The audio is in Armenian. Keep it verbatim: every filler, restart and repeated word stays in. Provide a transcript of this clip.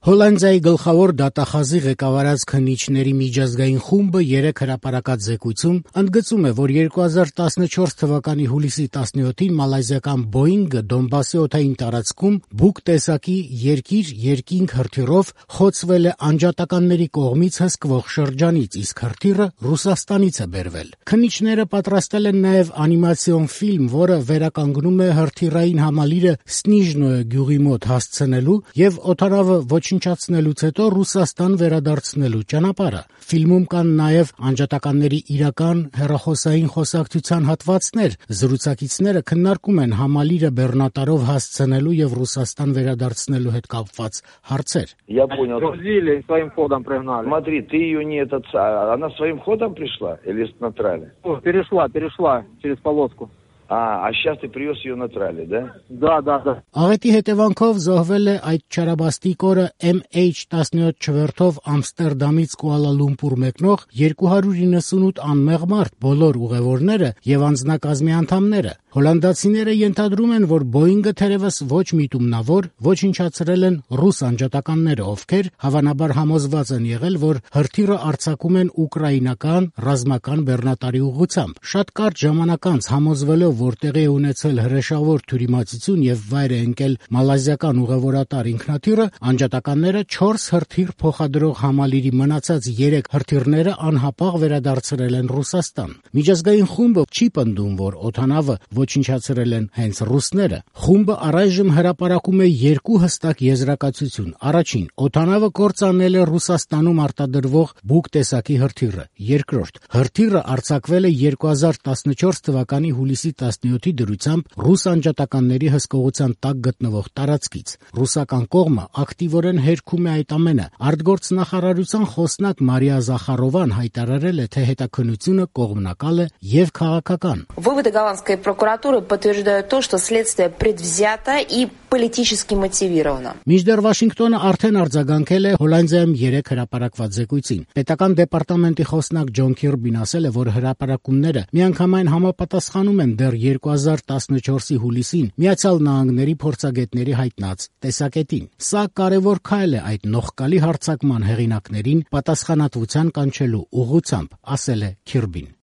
Հոլանդիայի գլխավոր դատախազի ղեկավարած քննիչների միջազգային խումբը երեկ հրապարակած զեկույցում ընդգծում է, որ երկու հազար տասնչորս թվականի հուլիսի տասնյոթին մալայզիական Boeing-ը Դոնբասի օդային տարածքում բուկ տեսակի երկիր-երկինք հրթիռով խոցվել է անջատականների կողմից հսկվող շրջանից, իսկ հրթիռը Ռուսաստանից է բերվել։ Քննիչները պատրաստել են նաև անիմացիոն ֆիլմ, որը վերականգնում է հրթիռային համալիրը Սնիժնոյե գյուղի մոտ հասցնելու եւ օդանավը ոչնչացնելուց հետո Ռուսաստան վերադարձնելու ճանապարհը։ Ֆիլմում կան նաև անջատականների իրական հեռախոսային խոսակցության հատվածներ։ Զրուցակիցները քննարկում են համալիրը բեռնատարով հասցնելու եւ Ռուսաստան վերադարձնելու հետ կապված հարցեր։ Я понял. Грузили, своим ходом пригнали. Смотри, ты ее не этот, она своим ходом пришла или с натрали? Перешла, перешла через полоску. А, а сейчас ты привез ее на трале, да? Да, да, да. Աղետի հետևանքով զոհվել է այդ չարաբաստիկ օրը էմ էյչ տասնյոթ չվերթով Ամստերդամից Կուալա Լումպուր մեկնող երկու հարյուր իննսունութ անմեղ մարդ, բոլոր ուղևորները եւ անձնակազմի անդամները։ Հոլանդացիները ենթադրում են, որ Boeing-ը թերևս ոչ միտումնավոր ոչնչացրել են ռուս անջատականները, ովքեր հավանաբար համոզված են եղել, որ հրթիռը արձակում են ուկրաինական ռազմական բեռնատարի ուղղությամբ։ Շատ կարճ ժամանակ անց համոզվելով, որ տեղի է ունեցել հրեշավոր թյուրիմացություն եւ վայր է ընկել մալազիական ուղևորատար ինքնաթիռը, անջատականները չորս հրթիռ փոխադրող համալիրի մնացած երեք հրթիռները անհապաղ վերադարձրել են Ռուսաստան։ Միջազգային խումբը չի պնդում, որ օդանավը ոչնչացրել են հենց ռուսները։ Խումբը առայժմ հրապարակում է երկու հստակ եզրակացություն։ Առաջին, օդանավը կործանել է Ռուսաստանում արտադրվող բուկ տեսակի հրթիռը։ Երկրորդ, հրթիռը արձակվել է երկու հազար տասնչորս թվականի հուլիսի տասնյոթի դրությամբ ռուս անջատականների հսկողության տակ գտնվող տարածքից։ Ռուսական կողմը ակտիվորեն հերքում է այդ ամենը։ Արտգործնախարարության խոսնակ Մարիա Զախարովան հայտարարել է, թե հետաքննությունը կողմնակալ է եւ քաղաքական։ Выводы голландской прокуратуры подтверждают то, что следствие предвзято и политически мотивировано. Մինչդեռ Վաշինգտոնը արդեն արձագանքել է Հոլանդիայում երեք հրապարակված զեկույցին։ Պետական դեպարտամենտի խոսնակ Ջոն Քիրբին ասել է, որ հրապարակումները միանգամայն համապատասխանում են դեռ երկու հազար տասնչորսի հուլիսին Միացյալ Նահանգների փորձագետների հայտնած տեսակետին։ Սա կարևոր քայլ է այդ նողկալի հարձակման հեղինակներին պատասխանատվության կանչելու ուղղությամբ, ասել է Քիրբին։